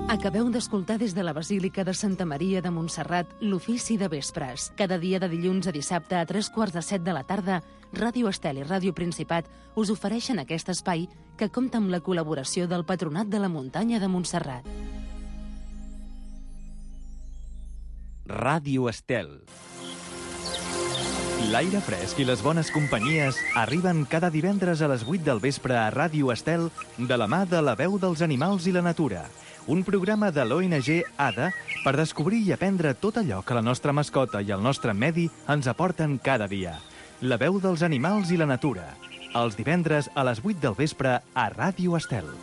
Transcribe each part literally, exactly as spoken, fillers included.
Acabeu d'escoltar des de la Basílica de Santa Maria de Montserrat l'ofici de vespres. Cada dia de dilluns a dissabte a tres quarts de set de la tarda, Ràdio Estel i Ràdio Principat us ofereixen aquest espai que compta amb la col·laboració del Patronat de la Muntanya de Montserrat. Ràdio Estel. L'aire fresc i les bones companyies arriben cada divendres a les vuit del vespre a Ràdio Estel de la mà de la veu dels animals i la natura. Un programa de l'O N G A D A per descobrir i aprendre tot allò que la nostra mascota i el nostre medi ens aporten cada dia. La veu dels animals i la natura. Els divendres a les vuit del vespre a Ràdio Estel.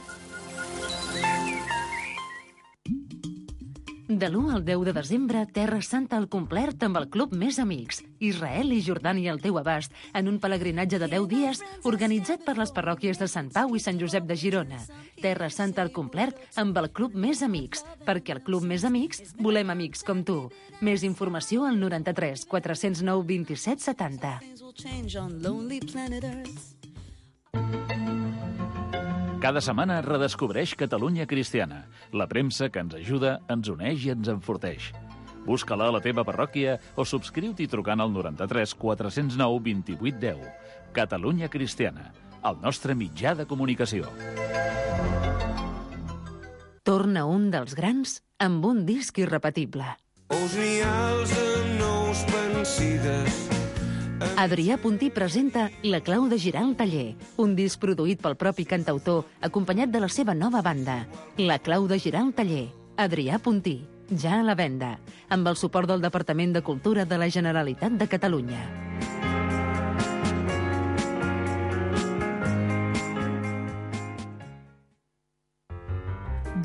De l'u al deu de desembre, Terra Santa al complet amb el Club Més Amics. Israel i Jordània al teu abast, en un pelegrinatge de deu dies organitzat per les parròquies de Sant Pau i Sant Josep de Girona. Terra Santa al complet amb el Club Més Amics, perquè al Club Més Amics volem amics com tu. Més informació al noranta-tres quatre zero nou vint-i-set setanta. Cada setmana redescobreix Catalunya Cristiana, la premsa que ens ajuda, ens uneix i ens enforteix. Busca-la a la teva parròquia o subscriu-t'hi trucant al noranta-tres quatre zero nou vint-i-vuit deu. Catalunya Cristiana, el nostre mitjà de comunicació. Torna un dels grans amb un disc irrepetible. Ous rials de nous pensides. Adrià Puntí presenta La clau de girar el taller, un disc produït pel propi cantautor, acompanyat de la seva nova banda. La clau de girar el taller, Adrià Puntí, ja a la venda, amb el suport del Departament de Cultura de la Generalitat de Catalunya.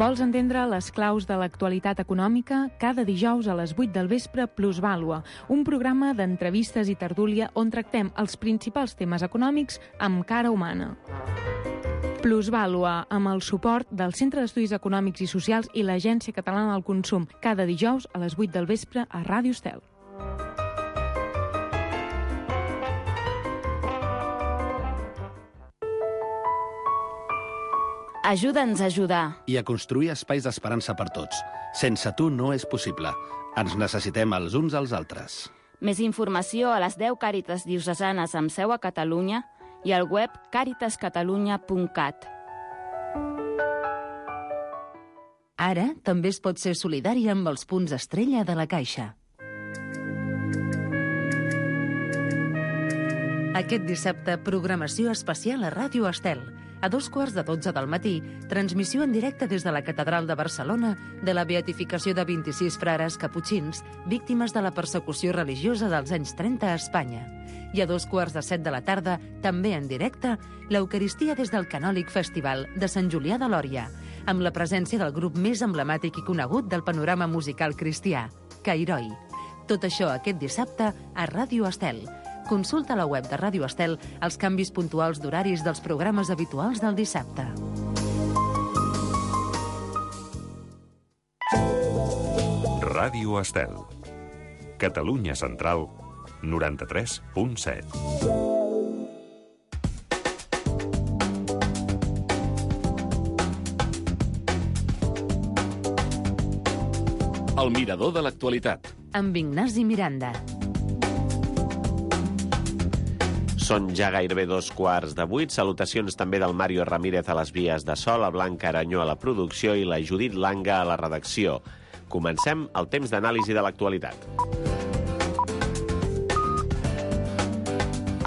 Vols entendre les claus de l'actualitat econòmica? Cada dijous a les vuit del vespre Plusvàlua, un programa d'entrevistes i tertúlia on tractem els principals temes econòmics amb cara humana. Plusvàlua, amb el suport del Centre d'Estudis Econòmics i Socials i l'Agència Catalana del Consum, cada dijous a les vuit del vespre a Ràdio Estel. Ajuda'ns a ajudar. I a construir espais d'esperança per tots. Sense tu no és possible. Ens necessitem els uns als altres. Més informació a les deu Càritas diocesanes amb seu a Catalunya i al web càritas catalunya punt cat. Ara també es pot ser solidari amb els punts estrella de la Caixa. Aquest dissabte, programació especial a Ràdio Estel. A dos quarts de dotze del matí, transmissió en directe des de la Catedral de Barcelona de la beatificació de vint-i-sis frares caputxins, víctimes de la persecució religiosa dels anys trenta a Espanya. I a dos quarts de set de la tarda, també en directe, l'Eucaristia des del Canòlic Festival de Sant Julià de Lòria, amb la presència del grup més emblemàtic i conegut del panorama musical cristià, Cairoi. Tot això aquest dissabte a Ràdio Estel. Consulta a la web de Ràdio Estel els canvis puntuals d'horaris dels programes habituals del dissabte. Ràdio Estel. Catalunya Central, noranta-tres punt set. El mirador de l'actualitat. Amb Ignasi Miranda. Són ja gairebé dos quarts de vuit. Salutacions també del Mario Ramírez a les vies de so, la Blanca Aranyó a la producció i la Judit Langa a la redacció. Comencem el temps d'anàlisi de l'actualitat.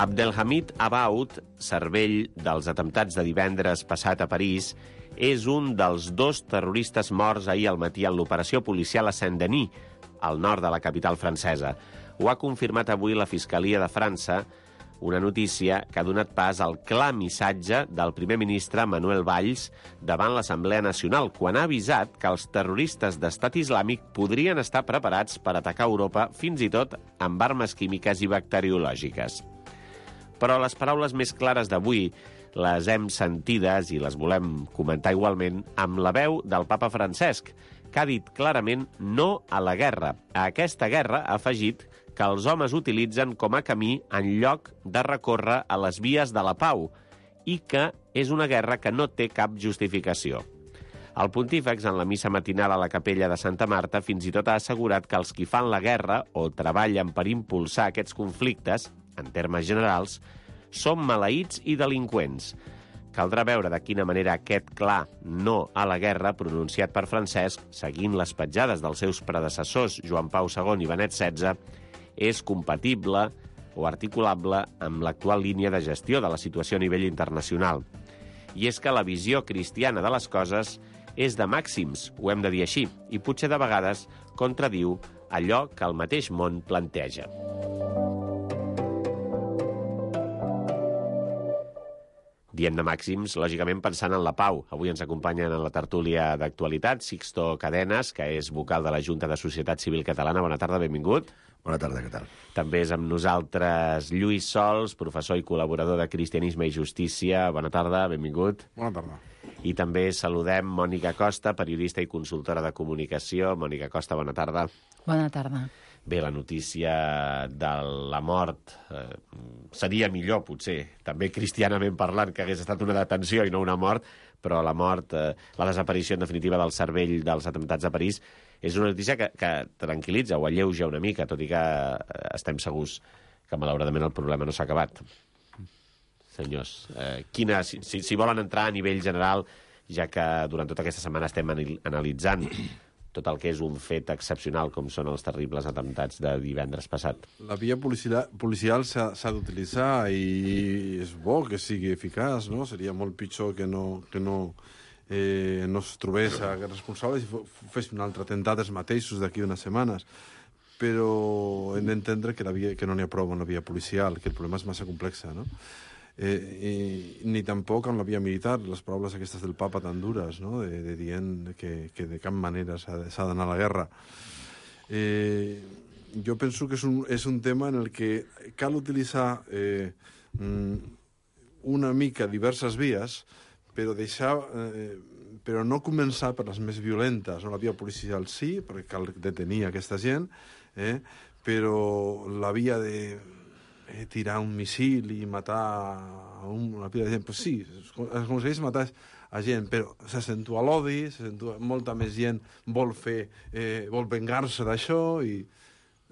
Abdelhamid Abaoud, cervell dels atemptats de divendres passat a París, és un dels dos terroristes morts ahir al matí en l'operació policial a Saint-Denis, al nord de la capital francesa. Ho ha confirmat avui la Fiscalia de França, una notícia que ha donat pas al clar missatge del primer ministre Manuel Valls davant l'Assemblea Nacional, quan ha avisat que els terroristes d'Estat Islàmic podrien estar preparats per atacar Europa fins i tot amb armes químiques i bacteriològiques. Però les paraules més clares d'avui les hem sentides i les volem comentar igualment amb la veu del papa Francesc, que ha dit clarament no a la guerra. A aquesta guerra ha afegit que els homes utilitzen com a camí en lloc de recórrer a les vies de la pau i que és una guerra que no té cap justificació. El pontífex, en la missa matinal a la capella de Santa Marta, fins i tot ha assegurat que els qui fan la guerra o treballen per impulsar aquests conflictes, en termes generals, són maleïts i delinqüents. Caldrà veure de quina manera aquest clar no a la guerra, pronunciat per Francesc, seguint les petjades dels seus predecessors Joan Pau segon i Benet setze, és compatible o articulable amb l'actual línia de gestió de la situació a nivell internacional. I és que la visió cristiana de les coses és de màxims, ho hem de dir així, i potser de vegades contradiu allò que el mateix món planteja. Diem de màxims, lògicament pensant en la pau. Avui ens acompanyen en la tertúlia d'actualitat Sixto Cadenes, que és vocal de la Junta de Societat Civil Catalana. Bona tarda, benvingut. Bona tarda, què tal? També és amb nosaltres Lluís Sols, professor i col·laborador de Cristianisme i Justícia. Bona tarda, benvingut. Bona tarda. I també saludem Mònica Costa, periodista i consultora de comunicació. Mònica Costa, bona tarda. Bona tarda. Bé, la notícia de la mort eh, seria millor, potser, també cristianament parlant, que hagués estat una detenció i no una mort, però la mort, eh, la desaparició en definitiva del cervell dels atemptats de París, és una notícia que, que tranquil·litza o alleuja una mica, tot i que eh, estem segurs que malauradament el problema no s'ha acabat. Senyors, eh, quina, si, si volen entrar a nivell general, ja que durant tota aquesta setmana estem analitzant tot el que és un fet excepcional, com són els terribles atemptats de divendres passat. La via policial, policial s'ha d'utilitzar i és bo que sigui eficaç, no? Seria molt pitjor que no, que no, eh, no es trobés aquests responsables i fes un altre atemptat els mateixos d'aquí unes setmanes. Però hem d'entendre que, la via, que no n'hi ha prou amb la via policial, que el problema és massa complex, no? Eh, i, ni tampoc amb la via militar, les paraules aquestes del papa tan dures, no? de, de dient que, que de cap manera s'ha d'anar a la guerra. Eh, jo penso que és un, és un tema en el que cal utilitzar eh, una mica diverses vies, però deixar... Eh, però no començar per les més violentes. No? La via policial sí, perquè cal detenir aquesta gent, eh? Però la via de... Eh, tirar un missil i matar a un, una pila de gent, pues sí, es aconsegueix matar a gent, però s'accentua l'odi, s'accentua, molta més gent vol fer, eh, vol vengar-se d'això, i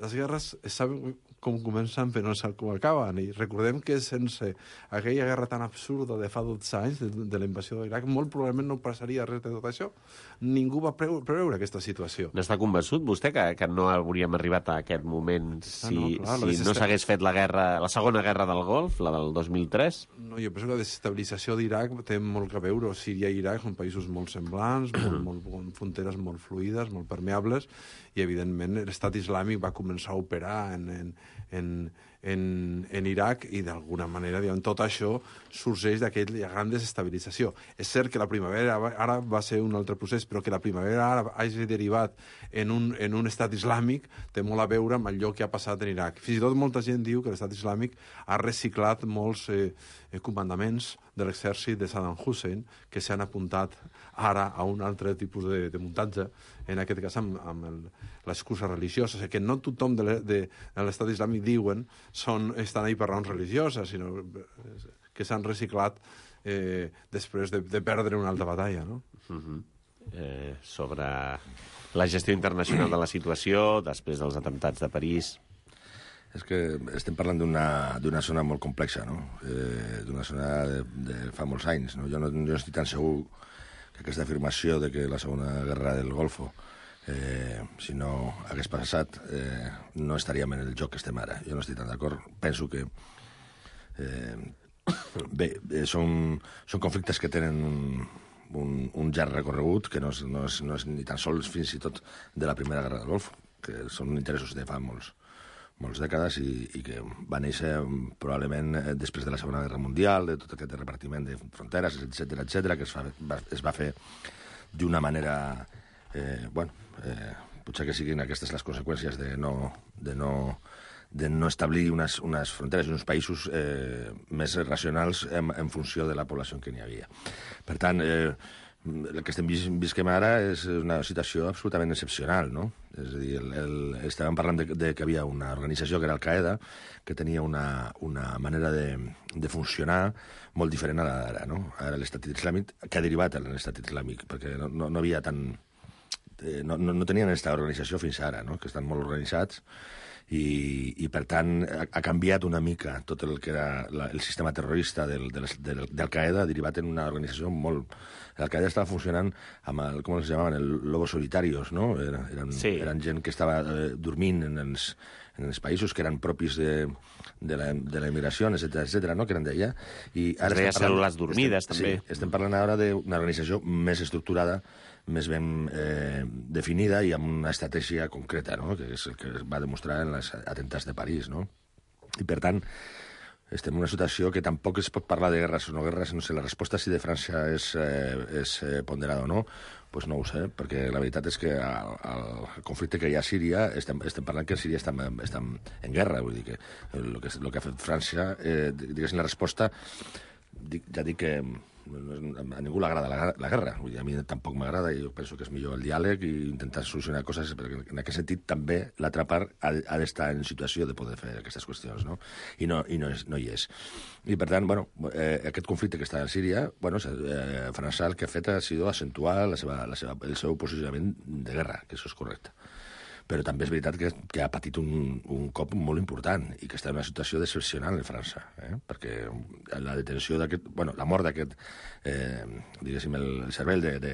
les guerres es saben com comencen però no saben com acaben, i recordem que sense aquella guerra tan absurda de fa dotze anys, de, de la invasió de l'Iraq, molt probablement no passaria res de tot això. Ningú va preveure, preveure aquesta situació. N'està convençut vostè que, que no hauríem arribat a aquest moment si, ah, no, clar, si no s'hagués fet la guerra, la segona guerra del Golf, la del dos mil tres? No, jo penso que la desestabilització d'Iraq té molt que veure. Síria i Iraq són països molt semblants, molt, molt, molt, fronteres molt fluides, molt permeables, i evidentment l'estat islàmic va començar a operar en, en, en, en, en Iraq i d'alguna manera diguem, tot això sorgeix d'aquella gran desestabilització. És cert que la primavera ara va ser un altre procés, però que la primavera ara hagi derivat en un, en un estat islàmic té molt a veure amb allò que ha passat en Iraq. Fins i tot molta gent diu que l'estat islàmic ha reciclat molts eh, comandaments de l'exèrcit de Saddam Hussein que s'han apuntat ara a un altre tipus de, de muntatge, en aquest cas amb, amb l'excusa religiosa. O sigui, que no tothom de l'estat islàmic diuen són, estan ahí per raons religioses, sinó que s'han reciclat eh, després de, de perdre una altra batalla, no? Uh-huh. eh, sobre la gestió internacional de la situació després dels atemptats de París. És que estem parlant d'una zona molt complexa, no? Eh, d'una zona de, de fa molts anys. No? Jo, no, jo no estic tan segur que aquesta afirmació de que la segona guerra del Golfo, eh, si no hagués passat, eh, no estaríem en el joc que estem ara. Jo no estic tan d'acord. Penso que eh, bé, eh, són, són conflictes que tenen un, un, un llarg recorregut, que no és, no, és, no és ni tan sols fins i tot de la primera guerra del Golfo, que són interessos de fa molts moltes dècades i, i que va néixer probablement després de la Segona Guerra Mundial, de tot aquest repartiment de fronteres, etcètera, etcètera, que es, fa, va, es va fer d'una manera... Eh, bueno, eh, potser que siguin aquestes les conseqüències de no, de no, de no establir unes, unes fronteres i uns països eh, més racionals en, en funció de la població que n'hi havia. Per tant, eh, el que estem vis visquem ara és una situació absolutament excepcional, no? És a dir, el, el, estàvem parlant de, de que havia una organització que era Al-Qaeda, que tenia una, una manera de, de funcionar molt diferent a la d'ara, no? Ara l'estat islàmic, que ha derivat en l'estat islàmic, perquè no, no, no havia tan... Eh, no, no, no tenien aquesta organització fins ara, no? Que estan molt organitzats, i, i per tant ha, ha canviat una mica tot el que era la, el sistema terrorista del, del, del, d'Al-Qaeda, derivat en una organització molt... Al-Qaeda estava funcionant amb el, com els llamaven, el lobos solitarios, no? Era, eren, sí. eren gent que estava eh, dormint en els, en els països que eren propis de, de, la, de la immigració, etcètera, etcètera, no? Que eren d'ella. I ara es deia cèl·lules dormides, estem, també. Sí, estem parlant ara d'una organització més estructurada, més ben eh, definida i amb una estratègia concreta, no? Que és el que es va demostrar en els atentats de París, no? I, per tant, estem en una situació que tampoc es pot parlar de guerres o no guerres, no sé, la resposta si de França és, eh, és eh, ponderada o no, doncs no ho sé, perquè la veritat és que el, el conflicte que hi ha a Síria, estem, estem parlant que a Síria estem, estem en guerra, vull dir que el que, el que ha fet França, eh, diguéssim, la resposta, dic, ja dic que a ningú l'agrada la, la guerra, vull dir, a mi tampoc m'agrada i jo penso que és millor el diàleg i intentar solucionar coses, perquè en aquest sentit també l'altra part ha, ha d'estar en situació de poder fer aquestes qüestions, no? I no, i no, és, no hi és. I per tant, bueno, eh, aquest conflicte que està a Síria, bueno, eh, França el que ha fet ha sido acentuar la seva, la seva, el seu posicionament de guerra, que això és correcte. Però també és veritat que, que ha patit un, un cop molt important i que està en una situació excepcional en França, eh? Perquè la detenció d'aquest... Bueno, la mort d'aquest, eh, diguéssim, el cervell de, de,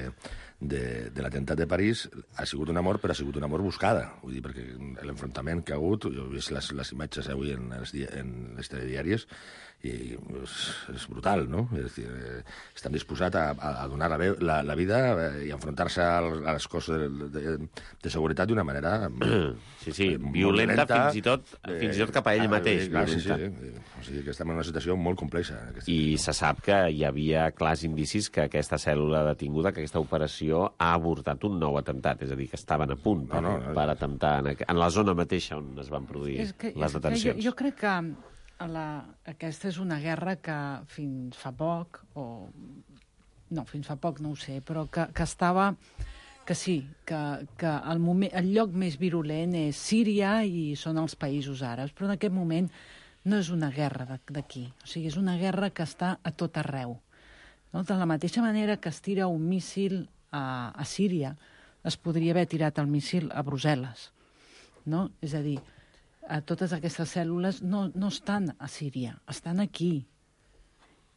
de, de l'atemptat de París ha sigut una mort, però ha sigut una mort buscada. Vull dir, perquè l'enfrontament que ha hagut, jo he vist les, les imatges avui en els, en les telediàries, i és, és brutal, no? És dir, eh, estan disposats a, a donar la, veu, la, la vida eh, i enfrontar-se a les coses de, de, de seguretat d'una manera... Sí, sí, violenta, violenta fins, i tot, eh, fins i tot cap a ell mateix. Clar, sí, sí, o sigui que estem en una situació molt complexa. I se sap que hi havia clars indicis que aquesta cèl·lula detinguda, que aquesta operació ha avortat un nou atemptat, és a dir, que estaven a punt per, no, no, per atemptar en, en la zona mateixa on es van produir que, les detencions. Jo, jo crec que la, aquesta és una guerra que fins fa poc, o no, fins fa poc no ho sé, però que, que estava... que sí, que, que el, moment, el lloc més virulent és Síria i són els països àrabs, però en aquest moment no és una guerra d'aquí, o sigui, és una guerra que està a tot arreu. No? De la mateixa manera que es tira un míssil a, a Síria, es podria haver tirat el míssil a Brussel·les. No? És a dir, a totes aquestes cèl·lules no, no estan a Síria, estan aquí.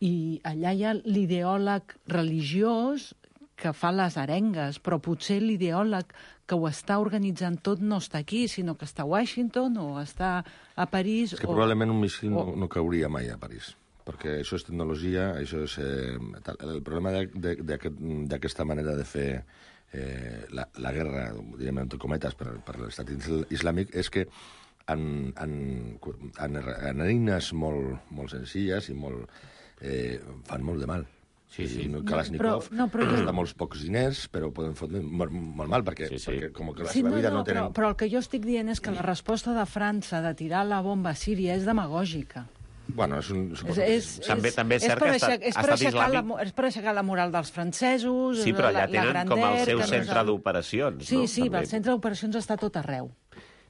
I allà hi ha l'ideòleg religiós que fa les arengues, però potser l'ideòleg que ho està organitzant tot no està aquí, sinó que està a Washington o està a París... És que o... probablement un míssil o... no, no cauria mai a París, perquè això és tecnologia, això és... Eh, el problema d'aquesta manera de fer eh, la, la guerra, direm entre cometes, per, per l'estat islàmic, és que en, en, en, en eines molt, molt senzilles i molt, eh, fan molt de mal. Sí, sí. Kalashnikov no, no, però... costa molts pocs diners, però poden fotre molt, molt mal, perquè, sí, sí. perquè com que la sí, seva no, vida no, no tenen... Però, però el que jo estic dient és que la resposta de França de tirar la bomba a Síria és demagògica. Bueno, és un... És, és, també, és, també és cert que estat, és per aixecar la, és per aixecar la moral dels francesos... Sí, però allà la, tenen la com el seu no centre d'operacions, sí, no? Sí, sí, també. el centre d'operacions està a tot arreu.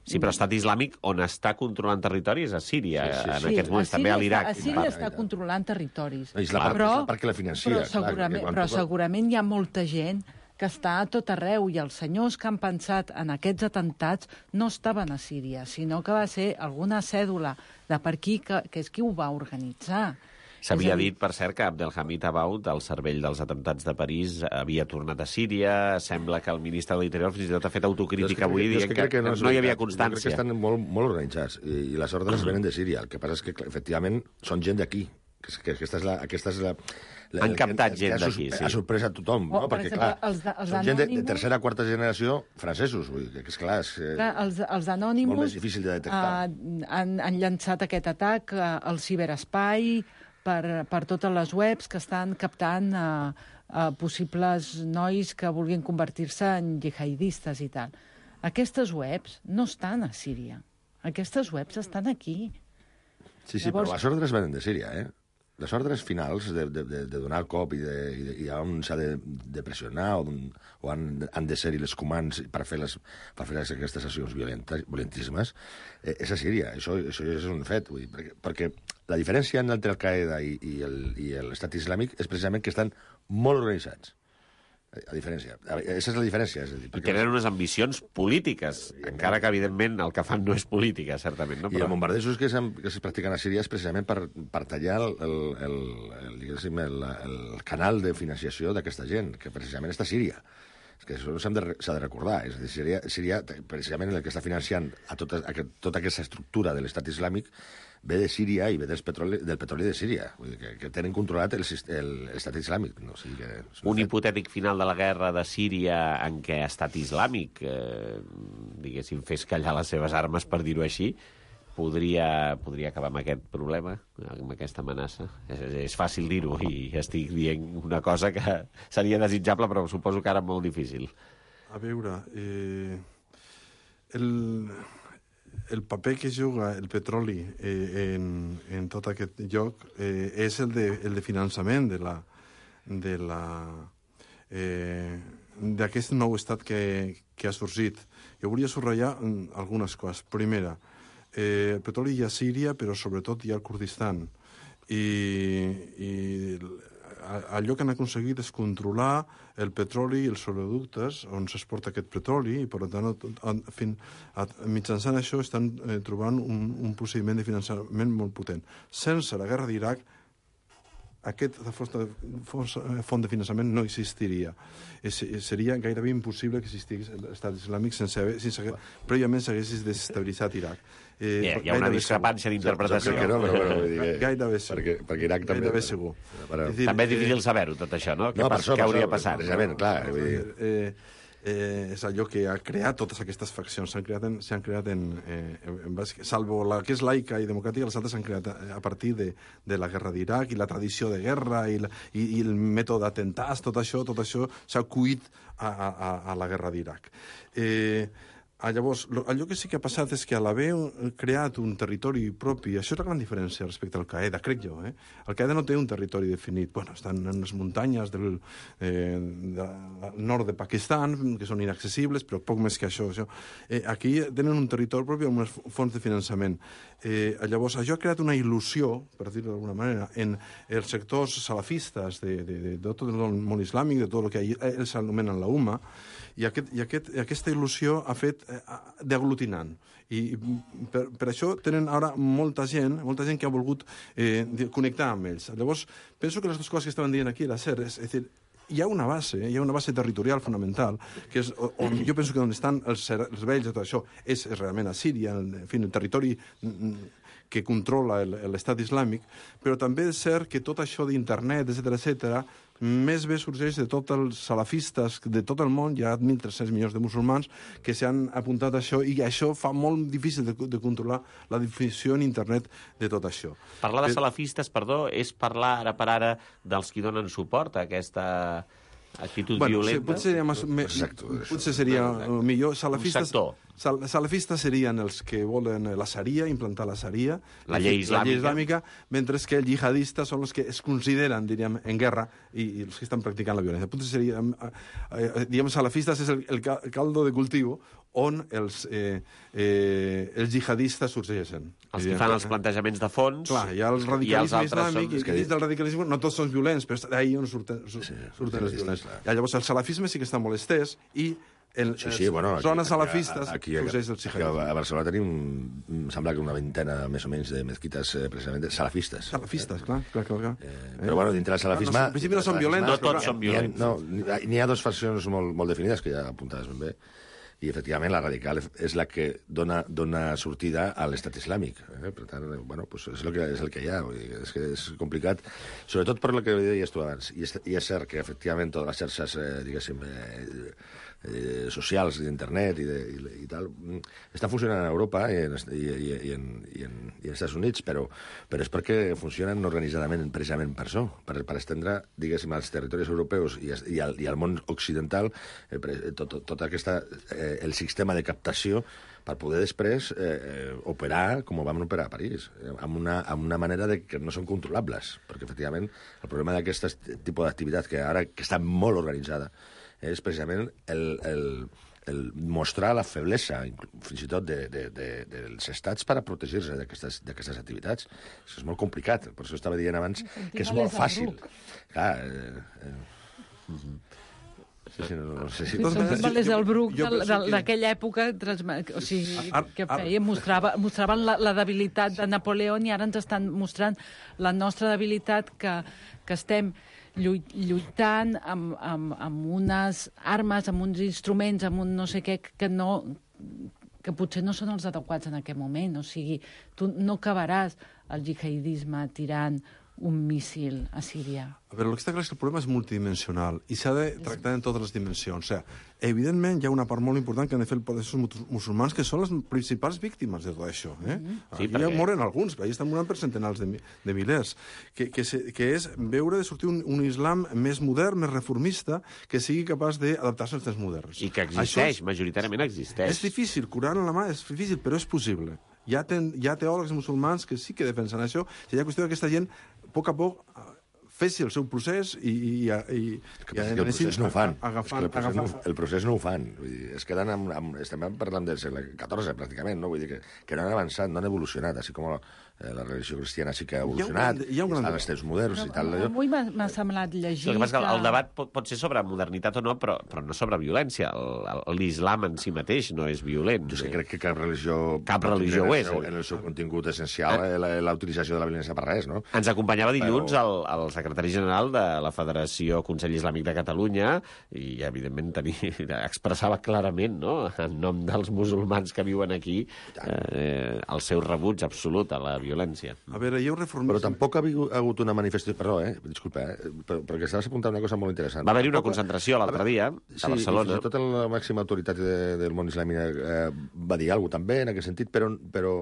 Sí, però Estat Islàmic, on està controlant territoris, a Síria, sí, sí, sí. en aquests moments, sí, també a l'Iraq. A Síria està controlant territoris. És la part, però, és la part que la financia. Però, segurament, clar, però segurament hi ha molta gent que està a tot arreu, i els senyors que han pensat en aquests atemptats no estaven a Síria, sinó que va ser alguna cèdula de per aquí, que, que és qui ho va organitzar. S'havia dit, per cert, que Abdelhamid Abaoud, el cervell dels atemptats de París, havia tornat a Síria. Sembla que el ministre de l'Interior fins i tot ha fet autocrítica avui, dient que, que, que no, no hi havia constància. Jo crec que estan molt, molt organitzats, i, i les ordres venen de Síria. El que passa és que, efectivament, són gent d'aquí. Que, que aquesta és la... Aquesta és la la, Han captat gent d'aquí, sí. Ha sorprès a tothom, no? Oh, per perquè, exemple, clar, els de, els són gent de, de tercera o quarta generació francesos, vull dir, que és clar, és clar, els, els Anonymous, molt més difícil de detectar. Uh, han, han llançat aquest atac uh, al ciberespai per, per totes les webs que estan captant uh, uh, possibles nois que vulguin convertir-se en jihadistes i tal. Aquestes webs no estan a Síria. Aquestes webs estan aquí. Sí, sí, Llavors... però les ordres venen de Síria, eh? les ordres finals de, de, de, de donar el cop i, de, i, de, i on s'ha de, de pressionar o, o han, han de ser-hi les comans per fer, les, per fer aquestes accions violentíssimes, eh, és a Síria. Això, això és un fet. Vull dir, perquè, perquè la diferència entre Al-Qaeda i, i, el, i l'Estat Islàmic és precisament que estan molt organitzats. A diferència. Aquesta és la diferència. És a dir, perquè... Tenen unes ambicions polítiques, encara que, evidentment, el que fan no és política, certament. No? Però... I els bombardejos que, que es practiquen a Síria és precisament per, per tallar el, el, el, el, el, el canal de financiació d'aquesta gent, que precisament està a Síria. És que això s'ha de, de recordar. És a dir, Síria, Síria, precisament el que està financiant a tota, a tota aquesta estructura de l'Estat Islàmic ve de Síria i ve del petroli, del petroli de Síria, vull dir, que, que tenen controlat l'Estat Islàmic. No? O sigui que un hipotètic final de la guerra de Síria en què Estat Islàmic, eh, diguéssim, fes callar les seves armes, per dir-ho així, podria, podria acabar amb aquest problema, amb aquesta amenaça. És, és fàcil dir-ho i estic dient una cosa que seria desitjable, però suposo que ara molt difícil. A veure, eh, el... el paper que juga el petroli eh, en, en tot aquest lloc eh, és el de, el de finançament de la, de la, eh, d'aquest nou estat que, que ha sorgit. Jo volia subratllar algunes coses. Primera, eh, el petroli hi ha a Síria, però sobretot hi ha al Kurdistan. I, i allò que han aconseguit és controlar el petroli i els oleoductes on s'exporta aquest petroli i, per tant, fin, a, mitjançant això estan eh, trobant un, un procediment de finançament molt potent. Sense la guerra d'Iraq, aquesta font de finançament no existiria. És, seria gairebé impossible que existís l'Estat Islàmic sense haver, sense que prèviament s'hagués desestabilitzat Iraq. Eh, yeah, hi ha una discrepància d'interpretació. No, però, però, dir, gairebé segur. Perquè, perquè Iraq també... Gairebé segur. Però... És dir, també és difícil saber-ho, tot això, no? No, Què, per això, què hauria per passat? Precisament, clar. Vull dir... Eh, eh, és allò que ha creat totes aquestes faccions. S'han creat en, s'han creat en, eh, en base, salvo la que és laica i democràtica, les altres s'han creat a partir de, de la guerra d'Iraq i la tradició de guerra i, la, i, i el mètode d'atemptats, tot això, tot això s'ha cuit a, a, a la guerra d'Iraq. Eh, Ah, llavors, allò que sí que ha passat és que a l'haver creat un territori propi, això és la gran diferència respecte al Al-Qaeda, crec jo. Eh? Al-Qaeda no té un territori definit. Bueno, estan en les muntanyes del eh, de, nord de Pakistan, que són inaccessibles, però poc més que això. això. Eh, aquí tenen un territori propi amb unes fonts de finançament. Eh, llavors, això ha creat una il·lusió, per dir-ho d'alguna manera, en els sectors salafistes de, de, de, de tot el món islàmic, de tot el que ells anomenen la UMA, i, aquest, i aquest, aquesta il·lusió ha fet eh, d'aglutinant. I per, per això tenen ara molta gent, molta gent que ha volgut eh, connectar amb ells. Llavors, penso que les dues coses que estaven dient aquí era cert, és, és dir, hi ha una base, hi ha una base territorial fonamental, que és on jo penso que on estan els, els vells de tot això és, és realment a Síria, en fi, el territori que controla l'Estat Islàmic, però també és cert que tot això d'internet, etcètera, etcètera, més bé sorgeix de tots els salafistes de tot el món, hi ha mil tres-cents milions de musulmans que s'han apuntat a això i això fa molt difícil de, de controlar la difusió en internet de tot això. Parlar de salafistes, perdó, és parlar ara per ara dels qui donen suport a aquesta actitud bueno, violenta? Sí, potser seria, més, me, potser seria millor. Salafistes, sal, salafistes serien els que volen la Sharia, implantar la Sharia, la llei islàmica, la llei islàmica mentre que els jihadistes són els que es consideren, diríem, en guerra i, i els que estan practicant la violència. Potser seria, eh, diguem, salafistes és el, el caldo de cultiu on els, eh, eh, els jihadistes sorgeixen. Els que fan els plantejaments de fons. Clar, hi ha el radicalisme islàmic, i que dins del radicalisme no tots són violents, però d'ahir on surten, surten, sí, surten els violents. I llavors el salafisme sí que està molt estès i el, sí, sí, bueno, aquí, zones salafistes aquí, aquí, sorgeix el jihadisme. A Barcelona tenim, sembla que una vintena més o menys de mezquites eh, precisament salafistes. Salafistes, eh? clar, clar, clar. clar. Eh, però bueno, dintre del salafisme... No, en principi no són violents. No tots són violents. No, n'hi ha dues faccions molt, molt definides, que ja apuntaves ben bé, i efectivament la radical és la que dona, dona sortida a l'estat islàmic. Eh? Per tant, bueno, pues és, el que, és el que hi ha. Vull dir, és que és complicat, sobretot per el que deies tu abans. I és, i és cert que efectivament totes les xarxes, eh, diguéssim, eh, eh, socials d'internet i, de, i, i tal, estan funcionant a Europa i en, i, i, i, en, i, en, i en Estats Units, però, però és perquè funcionen organitzadament precisament per això, per, per estendre, diguéssim, als territoris europeus i, i, al, i al món occidental eh, tot, tot, tot aquesta, eh, el sistema de captació per poder després eh, operar com ho vam operar a París, eh, amb, una, amb una manera de que no són controlables, perquè efectivament el problema d'aquest tipus d'activitat que ara que està molt organitzada és precisament el, el, el mostrar la feblesa, fins i tot de, de, de, dels estats per a protegir-se d'aquestes activitats. Això és molt complicat, per això estava dient abans que és molt fàcil. Clar, eh, eh, uh-huh. Sí, sí, no, no sé si... Són el Bruc d'aquella època, o sigui, que feia, mostrava, mostraven la, la debilitat de Napoleó i ara ens estan mostrant la nostra debilitat que, que estem lluitant amb, amb, amb unes armes, amb uns instruments, amb un no sé què, que no que potser no són els adequats en aquest moment. O sigui, tu no acabaràs el jihadisme tirant un míssil a Síria. A veure, el que està clar és que el problema és multidimensional i s'ha de tractar en totes les dimensions. O sigui, evidentment, hi ha una part molt important que han de fer els musulmans, que són les principals víctimes de tot això. Eh? Mm-hmm. Sí, aquí perquè... ja moren alguns, però allà estan morint per centenars de, de milers. Que, que, se, que és veure de sortir un, un islam més modern, més reformista, que sigui capaç d'adaptar-se als temps moderns. I que existeix, és, majoritàriament existeix. És difícil, Coran en la mà és difícil, però és possible. Hi ha, ten, hi ha teòlegs musulmans que sí que defensen això, i hi ha qüestió d'aquesta gent, a poc a poc, fessi el seu procés i... i, i, i que, i el procés no ho fan. Agafant, el, procés no, el procés no ho fan. Vull dir, es queden amb, amb... Estem parlant del segle catorze, pràcticament, no? Vull dir que, que no han avançat, no han evolucionat, així com eh, la religió cristiana sí que ha evolucionat, hi ha un, hi ha un estan els temps moderns no, i tal. Allò. Avui m'ha semblat llegir... El, que que... el debat pot, pot ser sobre modernitat o no, però, però no sobre violència. L'islam en si mateix no és violent. Jo sé, crec que cap religió... Cap religió ho és. En el, en el seu contingut essencial, ah. la, la utilització de la violència per res, no? Ens acompanyava dilluns però... el, el secretari general de la Federació Consell Islàmic de Catalunya i, evidentment, tenia, expressava clarament, no?, en nom dels musulmans que viuen aquí, eh, el seu rebuig absolut a la violència. A veure, hi ha un reformisme... Però tampoc ha hagut una manifestació... Perdó, eh? Disculpa, eh? Perquè estaves apuntant una cosa molt interessant. Va haver-hi una concentració l'altre dia, a sí, Barcelona. Sí, tota la màxima autoritat de, del món islàmic eh, va dir alguna cosa també en aquest sentit, però, però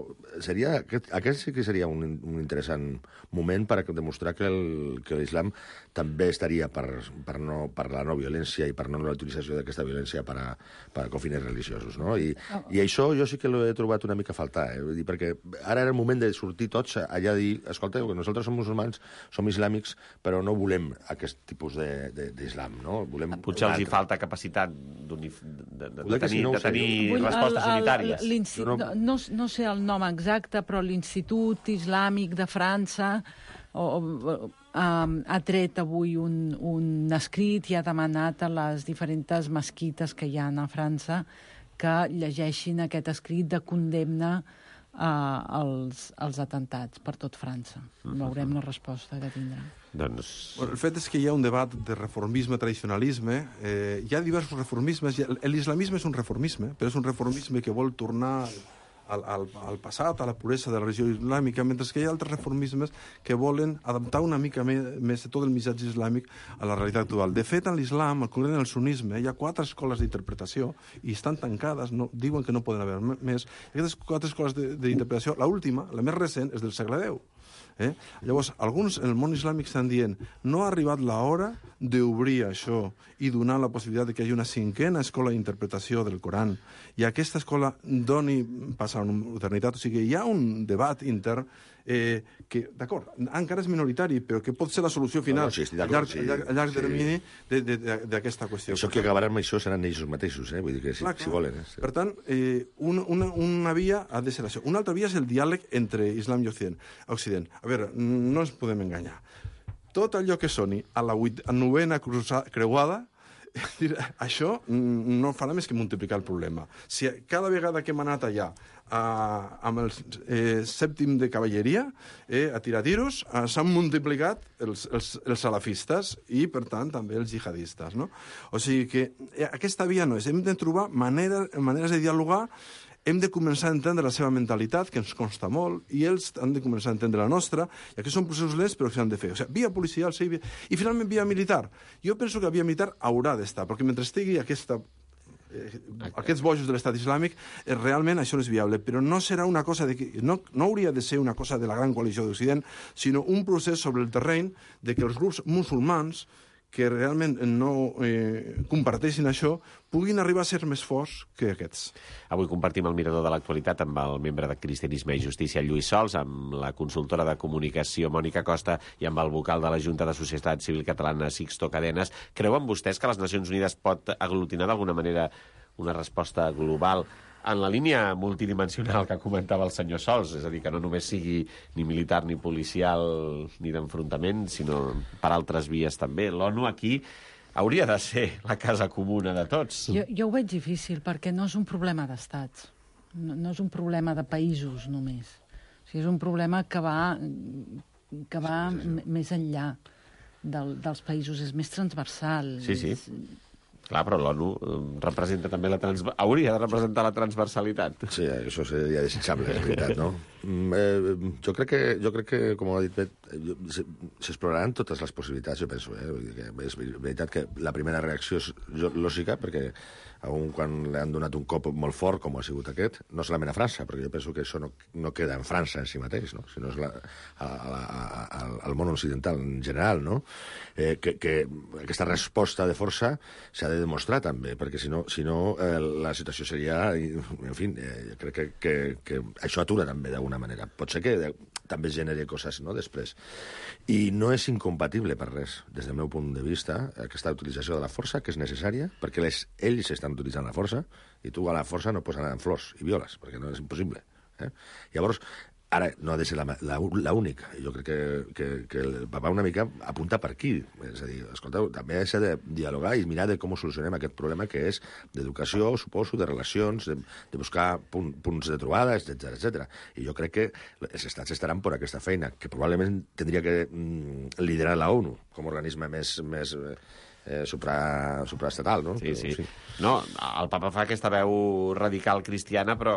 seria, aquest, aquest sí que seria un, un interessant moment per demostrar que el, que l'islam també estaria per, per, no, per la no violència i per no la utilització d'aquesta violència per a, per a fines religiosos, no? I, oh. I això jo sí que l'he trobat una mica a faltar, eh? Vull dir, perquè ara era el moment de sortir tots allà a dir, escolta, nosaltres som musulmans, som islàmics, però no volem aquest tipus d'islam, no? Volem potser els hi falta capacitat de, de, de tenir, no de tenir Vull, respostes el, el, unitàries. No, no, no sé el nom exacte, però l'Institut Islàmic de França o, o, um, ha tret avui un, un escrit i ha demanat a les diferents mesquites que hi ha a França que llegeixin aquest escrit de condemna uh, als, als atentats per tot França. Veurem la resposta que tindrà. Doncs... Bueno, el fet és que hi ha un debat de reformisme, tradicionalisme. Eh, hi ha diversos reformismes. L'islamisme és un reformisme, però és un reformisme que vol tornar al, al, al passat, a la puresa de la religió islàmica, mentre que hi ha altres reformismes que volen adaptar una mica més, més tot el missatge islàmic a la realitat actual. De fet, en l'islam, al contrari del sunnisme, hi ha quatre escoles d'interpretació i estan tancades, no, diuen que no poden haver més. Aquestes quatre escoles d'interpretació, l'última, la més recent, és del segle deu. Eh? Llavors, alguns en el món islàmic estan dient no ha arribat l'hora d'obrir això i donar la possibilitat de que hi hagi una cinquena escola d'interpretació del Coran i aquesta escola doni pas a una modernitat. O sigui, hi ha un debat intern eh, que, d'acord, encara és minoritari, però que pot ser la solució final no, no, sí, a llarg, sí, a llarg, a llarg sí. termini d'aquesta qüestió. Això que acabaran amb això seran ells mateixos, eh? Vull dir que si, clar, si volen. Eh? Per tant, eh, un, una, una via ha de ser això. Una altra via és el diàleg entre Islam i Occident. Occident. A veure, no ens podem enganyar. Tot allò que soni a la vuit, a novena creuada, això no farà més que multiplicar el problema. Si cada vegada que hem anat allà a, amb el eh, sèptim de cavalleria eh, a tirar tiros, eh, s'han multiplicat els, els, els salafistes i, per tant, també els jihadistes. No? O sigui que eh, aquesta via no és. Hem de trobar manera, maneres de dialogar. Hem de començar a entendre la seva mentalitat, que ens consta molt, i ells han de començar a entendre la nostra, i aquests són processos lents, però que s'han de fer. O sigui, via policial, sí, via... i finalment via militar. Jo penso que la via militar haurà d'estar, perquè mentre estigui aquesta eh, aquests bojos de l'estat islàmic, eh, realment això no és viable. Però no serà una cosa de que, no, no hauria de ser una cosa de la gran coalició d'Occident, sinó un procés sobre el terreny de que els grups musulmans que realment no eh, comparteixin això, puguin arribar a ser més forts que aquests. Avui compartim el mirador de l'actualitat amb el membre de Cristianisme i Justícia, Lluís Sols, amb la consultora de comunicació, Mònica Costa, i amb el vocal de la Junta de Societat Civil Catalana, Sixto Cadenes. Creuen vostès que les Nacions Unides pot aglutinar d'alguna manera una resposta global en la línia multidimensional que comentava el senyor Sols, és a dir, que no només sigui ni militar ni policial ni d'enfrontament, sinó per altres vies també? L'ONU aquí hauria de ser la casa comuna de tots. Jo, jo ho veig difícil, perquè no és un problema d'estats, no, no és un problema de països només. O sigui, és un problema que va, que va sí, sí, sí. més enllà del, dels països, és més transversal. Sí, sí. És... Clar, però l'ONU representa també la trans... hauria de representar la transversalitat. Sí, això seria desitjable, és veritat, no? Eh, jo, crec que, jo crec que, com ha dit Bet, s'exploraran totes les possibilitats, jo penso. Eh? Vull dir que és veritat que la primera reacció és lògica, perquè aun quan li han donat un cop molt fort, com ha sigut aquest, no solament a França, perquè jo penso que això no, no queda en França en si mateix, no? Sinó és la, a, a, a, al món occidental en general, no? Eh, que, que aquesta resposta de força s'ha de demostrar també, perquè si no, si no eh, la situació seria... En fi, eh, crec que, que, que això atura també d'alguna manera. Pot ser que de, també generi coses, no?, després. I no és incompatible per res, des del meu punt de vista, aquesta utilització de la força, que és necessària, perquè les, ells estan utilitzant la força, i tu a la força no pots anar amb flors i violes, perquè no és impossible. Eh? Llavors, ara no ha de ser la, la, la única. Jo crec que, que, que el va una mica apunta per aquí. És a dir, escolteu, també s'ha de dialogar i mirar de com solucionem aquest problema que és d'educació, suposo, de relacions, de, de buscar punt, punts de trobada, etcètera, etcètera. I jo crec que els estats estaran per aquesta feina, que probablement tindria que mm, liderar la ONU com a organisme més... més Eh, supra, supraestatal, no? Sí, sí. sí. No, el papa fa aquesta veu radical cristiana, però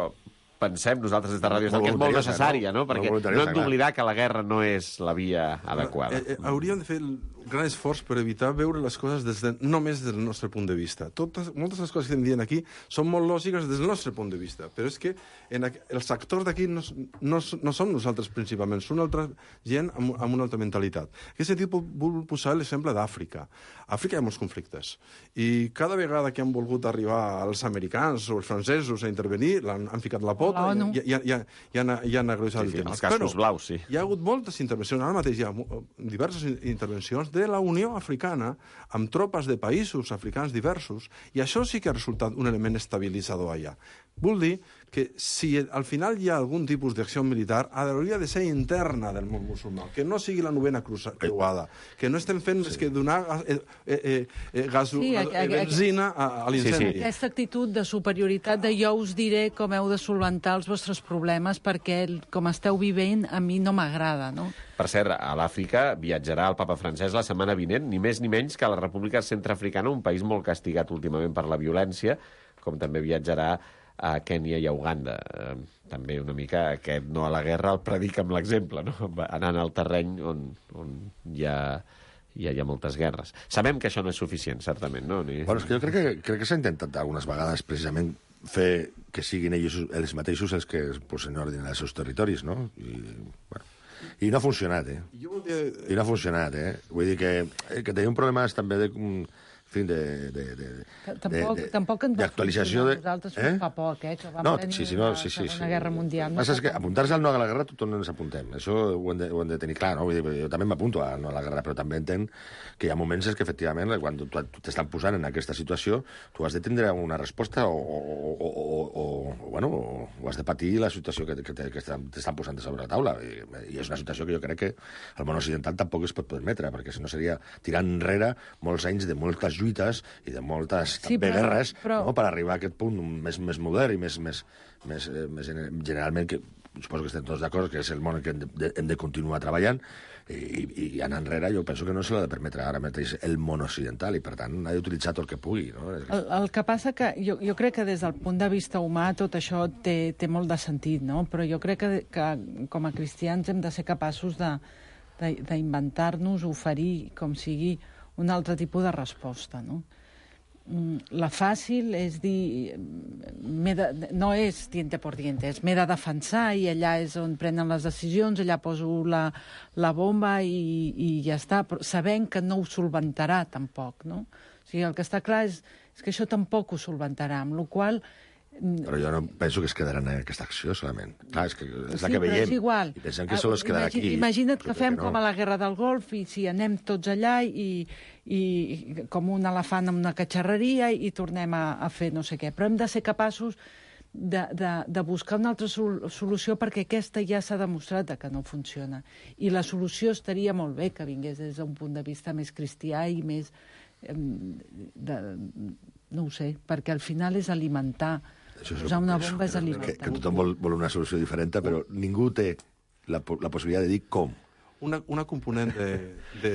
pensem nosaltres des de Ràdio Estel que és molt necessària, no? Perquè no hem d'oblidar que la guerra no és la via adequada. Eh, eh, hauríem de fer el gran esforç per evitar veure les coses des de, només des del nostre punt de vista. Totes, moltes de les coses que estem dient aquí són molt lògiques des del nostre punt de vista, però és que en, els actors d'aquí no, no, no som nosaltres principalment, són altra gent amb, amb una altra mentalitat. En aquest sentit, vull posar l'exemple d'Àfrica. A Àfrica hi ha molts conflictes, i cada vegada que han volgut arribar els americans o els francesos a intervenir, han, han ficat la pota i, i, i, i, i han, i han agreuixat sí, sí, el tema. Els cascos però blaus, sí. Hi ha hagut moltes intervencions, ara mateix hi ha diverses intervencions de la Unió Africana amb tropes de països africans diversos, i això sí que ha resultat un element estabilitzador allà. Vull dir que si al final hi ha algun tipus d'acció militar, hauria de ser interna del món musulmà, que no sigui la novena creuada, que no estem fent més que donar eh, eh, eh, gas, sí, eh, benzina a, a l'incendi. Sí, sí. Aquesta actitud de superioritat de jo us diré com heu de solventar els vostres problemes perquè com esteu vivint a mi no m'agrada, no? Per cert, a l'Àfrica viatjarà el papa francès la setmana vinent, ni més ni menys que a la República Centreafricana, un país molt castigat últimament per la violència, com també viatjarà a Kènia i a Uganda. Eh, també una mica aquest no a la guerra el predica amb l'exemple, no? Anant al terreny on, on hi ha... Hi ha, hi ha moltes guerres. Sabem que això no és suficient, certament, no? Ni... Bueno, és que jo crec que, crec que s'ha intentat algunes vegades precisament fer que siguin ells, ells mateixos els que posen ordre als seus territoris, no? I, bueno, i no ha funcionat, eh? I no ha funcionat, eh? Vull dir que, que tenim problemes també de... fin, de... de, de tampoc, de, tampoc ens va d'actualització de... nosaltres eh? fa poc, eh? Que vam no, tenir sí, sí, no, la sí, sí, Segona sí. Guerra Mundial. No és que apuntar-se al no a la guerra tothom ens apuntem. Això ho hem de, ho hem de tenir clar, no? Vull dir, jo també m'apunto a no a la guerra, però també entenc que hi ha moments que, efectivament, quan tu t'estan posant en aquesta situació, tu has de tindre una resposta o, o, o, o, o, o, bueno, o has de patir la situació que, que, que t'estan posant sobre la taula. I, I és una situació que jo crec que el món occidental tampoc es pot permetre, perquè si no seria tirar enrere molts anys de moltes lluites i de moltes sí, també però, guerres però... no, per arribar a aquest punt més, més modern i més, més, més, més generalment, que suposo que estem tots d'acord, que és el món en què hem de, hem de continuar treballant, i, i anar enrere jo penso que no se l'ha de permetre ara mateix el món occidental, i per tant ha d'utilitzar tot el que pugui. No? El, el que passa que jo, jo crec que des del punt de vista humà tot això té, té molt de sentit, no? Però jo crec que, que com a cristians hem de ser capaços d'inventar-nos, oferir, com sigui, un altre tipus de resposta, no? la fàcil és dir... De, no és diente por diente, és m'he de defensar i allà és on prenen les decisions, allà poso la, la bomba i, i ja està, però sabent que no ho solventarà tampoc, no? O sigui, el que està clar és, és que això tampoc ho solventarà, amb la qual cosa... Però jo no penso que es quedarà en aquesta acció, solament. Clar, és, que és la sí, que veiem. És igual. I pensem que sols es quedarà Imagina, aquí. Imagina't que fem no. com a la Guerra del Golf i si anem tots allà i, i com un elefant amb una catxarreria i tornem a, a fer no sé què. Però hem de ser capaços de, de, de buscar una altra sol solució perquè aquesta ja s'ha demostrat que no funciona. I la solució estaria molt bé que vingués des d'un punt de vista més cristià i més... Eh, de, no ho sé, perquè al final és alimentar. Això és Posar una bomba és alimentar. Que, que tothom vol, vol una solució diferent, però ningú té la, la possibilitat de dir com. Una, una component de, de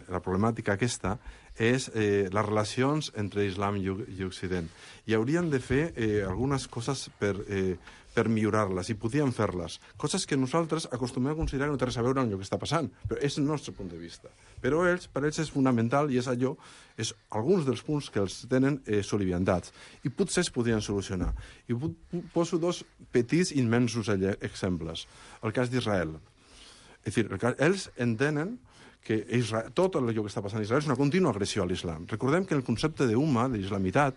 la problemàtica aquesta és eh, les relacions entre Islam i, i Occident. I haurien de fer eh, algunes coses per, eh, per millorar-les, i podien fer-les. Coses que nosaltres acostumem a considerar que no té res a veure amb el que està passant, però és el nostre punt de vista. Però ells, per ells és fonamental i és allò, és alguns dels punts que els tenen eh, soliviantats. I potser es podrien solucionar. I poso dos petits immensos exemples. El cas d'Israel. És a dir, ells entenen que Israel, tot allò que està passant a Israel és una contínua agressió a l'islam. Recordem que el concepte d'umma, d'islamitat,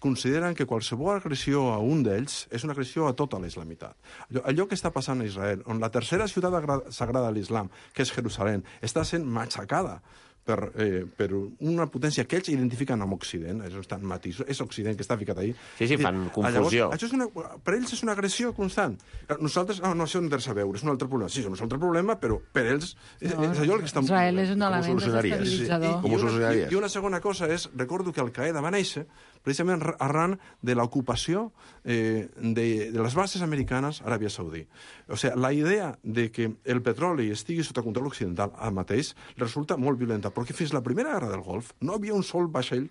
consideren que qualsevol agressió a un d'ells és una agressió a tota la islamitat. Allò, allò que està passant a Israel, on la tercera ciutat sagrada de l'islam, que és Jerusalem, està sent matxacada per, eh, per una potència que ells identifiquen amb Occident, és, estan matís, és Occident que està ficat ahí. Sí, sí, fan confusió. Llavors, això és una, per ells és una agressió constant. Nosaltres, no, no, això no té res a veure, és un altre problema. Sí, és un altre problema, però per ells és, no, és allò el que estan... Israel és un element desestabilitzador. I, i, una, i, I una segona cosa és, recordo que Al-Qaeda va néixer precisament arran de l'ocupació eh, de, de les bases americanes a Aràbia Saudí. O sigui, la idea de que el petroli estigui sota control occidental al mateix resulta molt violenta, perquè fins la primera guerra del Golf no havia un sol vaixell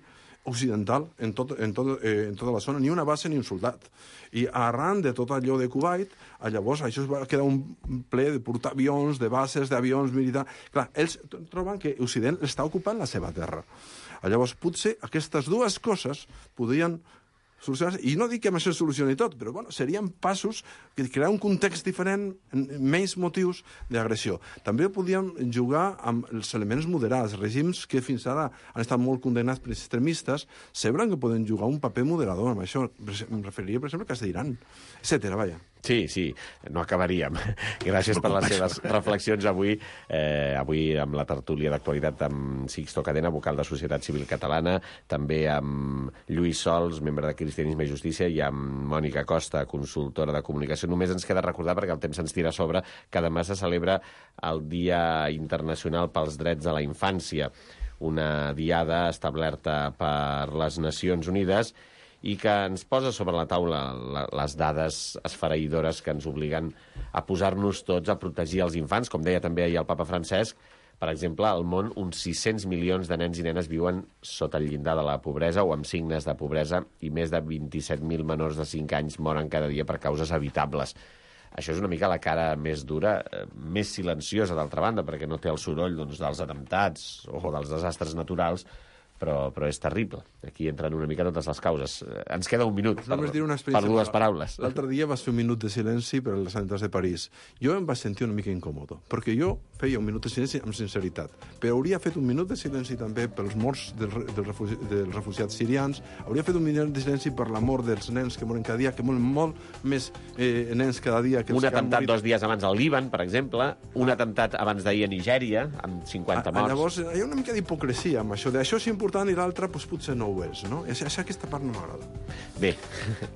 occidental en, tot, en, tot, eh, en tota la zona, ni una base ni un soldat. I arran de tot allò de Kuwait, llavors això es va quedar un ple de portaavions, de bases, d'avions militars... Clar, ells troben que Occident està ocupant la seva terra. Llavors, potser aquestes dues coses podrien solucionar-se. I no dic que amb això es solucioni tot, però bueno, serien passos que crear un context diferent, menys motius d'agressió. També podíem jugar amb els elements moderats. Regims que fins ara han estat molt condemnats per extremistes semblen que poden jugar un paper moderador amb això. Em referiria, per exemple, al cas d'Iran, etcètera, vaja. Sí, sí, no acabaríem. Gràcies per les seves reflexions avui, eh, avui amb la tertúlia d'actualitat amb Sixto Cadena, vocal de Societat Civil Catalana, també amb Lluís Sols, membre de Cristianisme i Justícia, i amb Mònica Costa, consultora de comunicació. Només ens queda recordar, perquè el temps ens tira a sobre, que demà se celebra el Dia Internacional pels Drets a la Infància, una diada establerta per les Nacions Unides i que ens posa sobre la taula les dades esfereïdores que ens obliguen a posar-nos tots a protegir els infants. Com deia també ahir el papa Francesc, per exemple, al món uns sis-cents milions de nens i nenes viuen sota el llindar de la pobresa o amb signes de pobresa i més de vint-i-set mil menors de cinc anys moren cada dia per causes evitables. Això és una mica la cara més dura, més silenciosa, d'altra banda, perquè no té el soroll doncs, dels atemptats o dels desastres naturals, però, però és terrible. Aquí entren una mica totes les causes. Ens queda un minut per, per dues paraules. L'altre dia vas fer un minut de silenci per als atemptats de París. Jo em vaig sentir una mica incòmode, perquè jo feia un minut de silenci amb sinceritat, però hauria fet un minut de silenci també pels morts del, del refugi, dels refugiats sirians, hauria fet un minut de silenci per la mort dels nens que moren cada dia, que moren molt més eh, nens cada dia que els un que han atemptat morit. dos dies abans al Líban, per exemple, un atemptat abans d'ahir a Nigèria, amb cinquanta morts. Llavors, hi ha una mica d'hipocresia amb això, d'això és important i l'altre doncs, potser no ho és, no? És, és aquesta part no m'agrada. Bé,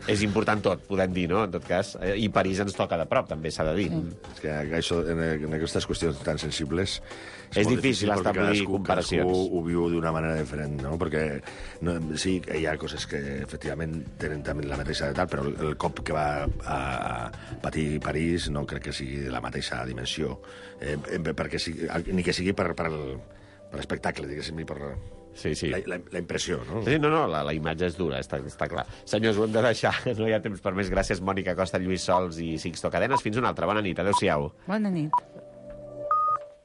és important tot, podem dir, no?, en tot cas. I París ens toca de prop, també s'ha de dir. Mm. És que això, en, en aquestes qüestions tan sensibles... És, és difícil establir comparacions. Cadascú ho viu d'una manera diferent, no? Perquè no, sí, hi ha coses que efectivament tenen també la mateixa edat, però el cop que va a patir París no crec que sigui de la mateixa dimensió. Eh, perquè sigui, ni que sigui per, per, per espectacle, diguéssim, ni per... Sí, sí. La, la, la impressió, no? Sí, no, no, la, la imatge és dura, està, està clar. Senyors, ho hem de deixar, no hi ha temps per més. Gràcies, Mònica Costa, Lluís Sols i Sixto Cadenes. Fins una altra. Bona nit, adéu-siau. Bona nit.